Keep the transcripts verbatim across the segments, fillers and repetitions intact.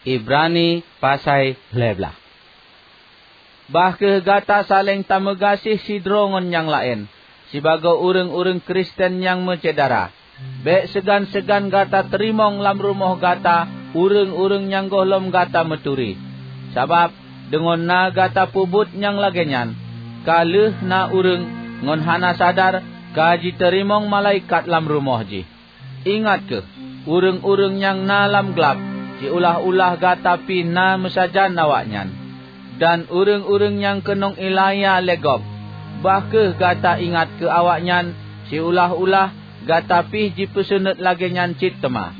Ibrani pasai lhée blaih. Bah kheueh gata saléng tameugaséh sidroe ngon nyang laén, sibagoe ureuëng-ureuëng Kristen nyang meusyedara. Bék seugan-seugan gata teurimong lam rumoh gata ureuëng-ureuëng nyang gohlom gata meuturi. Sabab, deungon na gata peubuet nyang lagée nyan, ka lheueh na ureuëng ngon hana sadar ka jiteurimong malaikat lam rumoh jih. Ingat kheueh, ureuëng-ureuëng nyang na lam glab, siulah-ulah gata pih na meusajan awaknyan. Dan ureuëng-ureuëng nyang keunong iéleumé lé gob, bah kheueh gata ingat keu awaknyan, siulah-ulah gata pih jipeuseunuet lagée nyan cit teuma.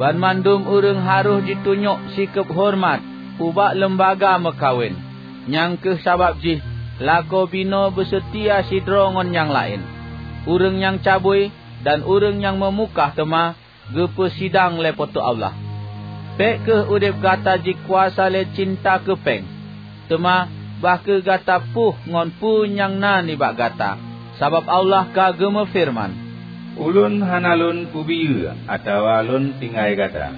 Banmandum ureuëng harôh jitunyok sikeueb horeumat ubak leumbaga meukawen. Nyang kheueh sabab jih lakoe binoe beuseutia sidroe ngon nyang laén. Ureuëng nyang cabui dan ureuëng nyang meumukah teuma geupeusidang lé Po teu Allah. Bék kheueh udeb gata jikuasa lé cinta keu péng, teuma bah kheueh gata puih ngon peue nyang na nibak gata, sabab Allah ka geumeufeureuman, "Ulôn hana Lôn peubiyeu atawa Lôn tinggai gata."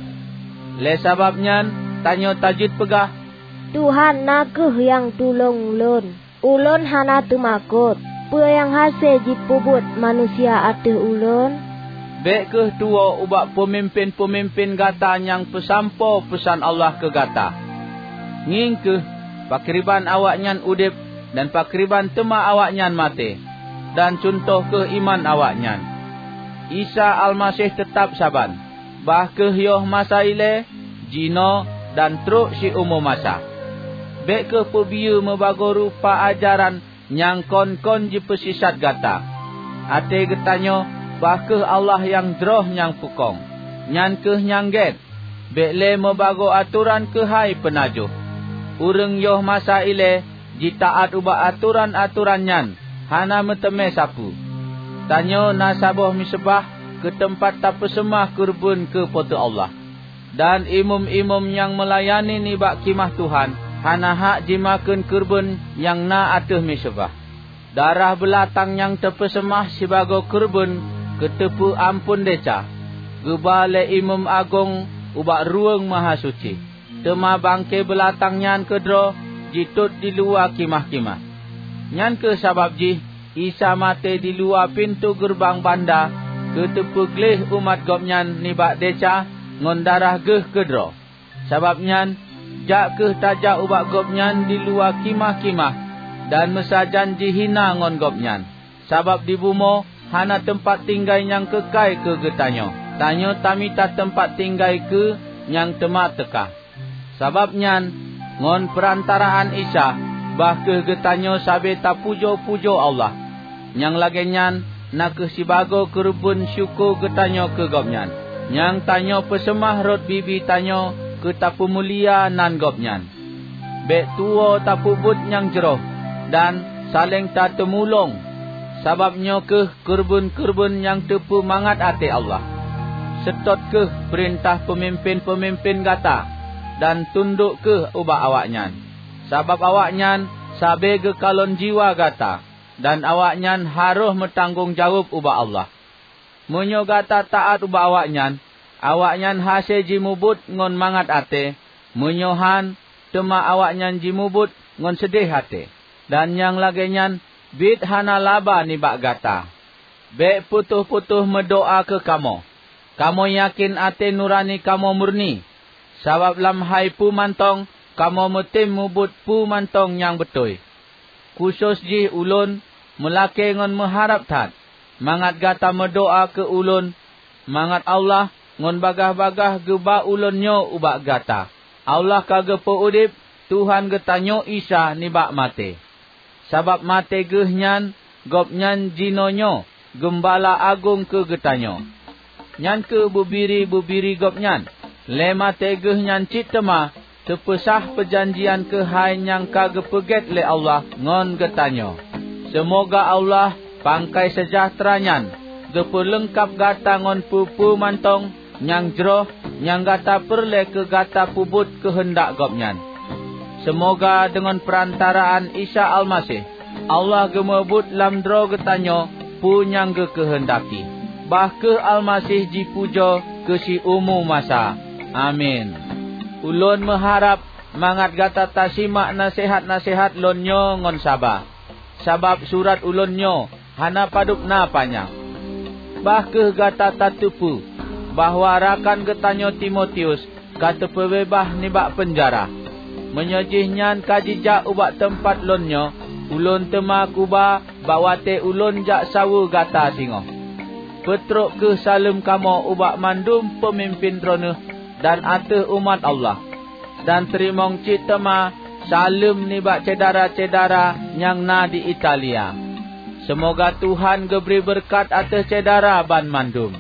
Lé sabab nyan, tanyoe tajeuet peugah, "Tuhan na kheueh nyang tulông lôn. Ulôn hana teumakot. Peue nyang hase jipeubuet manusia ateueh ulôn?" Bék kheueh tuwoe ubak peumimpén-peumimpén gata nyang peusampoe peusan Allah keu gata. Ngieng kheueh pakriban awaknyan udeb dan pakriban teuma awaknyan maté, dan cuntoh kheueh iman awaknyan. Isa Almaseh teutab saban, bah kheueh yoh masa ilée, jinoe, dan trok siumu masa. Bék kheueh peubiyeu meubagoe rupa ajaran nyang kon-kon jipeusisat gata. Até geutanyoe bah kheueh Allah nyang jroh nyang peukong, nyan kheueh nyang gét. Bék lé meubagoe atoran keuhai peunajoh. Ureuëng yoh masa ilée jitaát ubak atoran-atoran nyan hana meuteumé sapeue. Tanyoe na saboh miseubah keu teumpat tapeuseumah keureubeuen keu Po teu Allah. Dan imeum-imeum nyang meulayani nibak khimah Tuhan hana hak jimakheun keureubeuen nyang na ateueh miseubah. Darah beulatang nyang teupeuseumah sibagoe keureubeuen keu teupeu amphon desya, geuba lé imeum agong ubak Ruweueng Mahasuci. Teuma bangke beulatang nyan keudroe jitot diluwa khimah-khimah. Nyan kheueh sabab jih Isa maté diluwa pintoe geureubang banda keu teupeugleh umat Gobnyan nibak desya ngon darah Geuh keudroe. Sabab nyan, jak kheueh tajak ubak Gobnyan diluwa khimah-khimah dan meusajan jihina ngon Gobnyan. Sabab di bumoe hana teumpat tinggai nyang keukai keu geutanyoe, tanyoe tamita teumpat tinggai keu nyang teuma teuka. Sabab nyan, ngon peurantaraan Isa, bah kheueh geutanyoe sabe tapujoe-pujoe Allah. Nyang lagée nyan na kheueh sibagoe keureubeuen syukoe geutanyoe keu Gobnyan, nyang tanyoe peuseumah rot bibi tanyoe keu tapeumulia nan Gobnyan. Bék tuwoe tapeubuet nyang jroh dan saléng tateumulông, sabab nyoe kheueh keureubeuen-keureubeuen nyang teupeu mangat até Allah. Seutôt kheueh peurintah peumimpén-peumimpén gata dan tundok kheueh ubak awaknyan, sabab awaknyan sabe geukalon jiwa gata, dan awaknyan harôh meutanggong jaweueb ubak Allah. Meunyoe gata taát ubak awaknyan, awaknyan hase jimubuet ngon mangat até, meunyoe han, teuma awaknyan jimubuet ngon seudeh até. Dan nyang lagée nyan biet hana laba nibak gata. Bék putôh-putôh meudoá keu kamoe. Kamoe yakén até nurani kamoe murni, sabab lam hai peue mantong kamoe meutem mubuet peue mantong nyang beutôi. Khusos jih ulôn meulakée ngon meuharab that, mangat gata meudoá keu ulôn, mangat Allah ngon bagaih-bagaih geuba ulôn nyoe ubak gata. Allah ka geupeu udeb Tuhan geutanyoe Isa nibak maté. Sabab maté Geuh nyan, Gobnyan jinoenyoe Geumbala Agong keu geutanyoe. Nyan kheueh bubiri-bubiri Gobnyan. Lé maté Geuh nyan cit teuma teupeusah peujanjian keuhai nyang ka geupeugét lé Allah ngon geutanyoe. Seumoga Allah, pangkai seujahteura nyan, geupeuleungkab gata ngon peue-peue mantong nyang jroh nyang gata peureulée keu gata peubuet keuheundak Gobnyan. Seumoga deungon peurantaraan Isa Almaseh, Allah geumeubuet lam droe geutanyoe peue nyang geukeuheundaki. Bah kheueh Almaseh jipujoe keu siumu masa. Amin. Ulôn meuharab mangat gata tasimak naseuhat-naseuhat lôn nyoe ngon saba, sabab surat ulôn nyoe hana padub na panyang. Bah kheueh gata tateupeue bahwa rakan geutanyoe Timotius ka teupeubeubaih nibak peunjara. Meunyoe jihnyan ka jijak ubak teumpat lôn nyoe, ulôn teuma kuba bak watée ulôn jak saweue gata singoh. Peutrok kheueh saleuem kamoe ubak mandum peumimpén droeneueh dan ateueh umat Allah. Dan teurimong cit teuma saleuem nibak syedara-syedara nyang na di Italia. Seumoga Tuhan geubri beureukat ateueh syedara banmandum.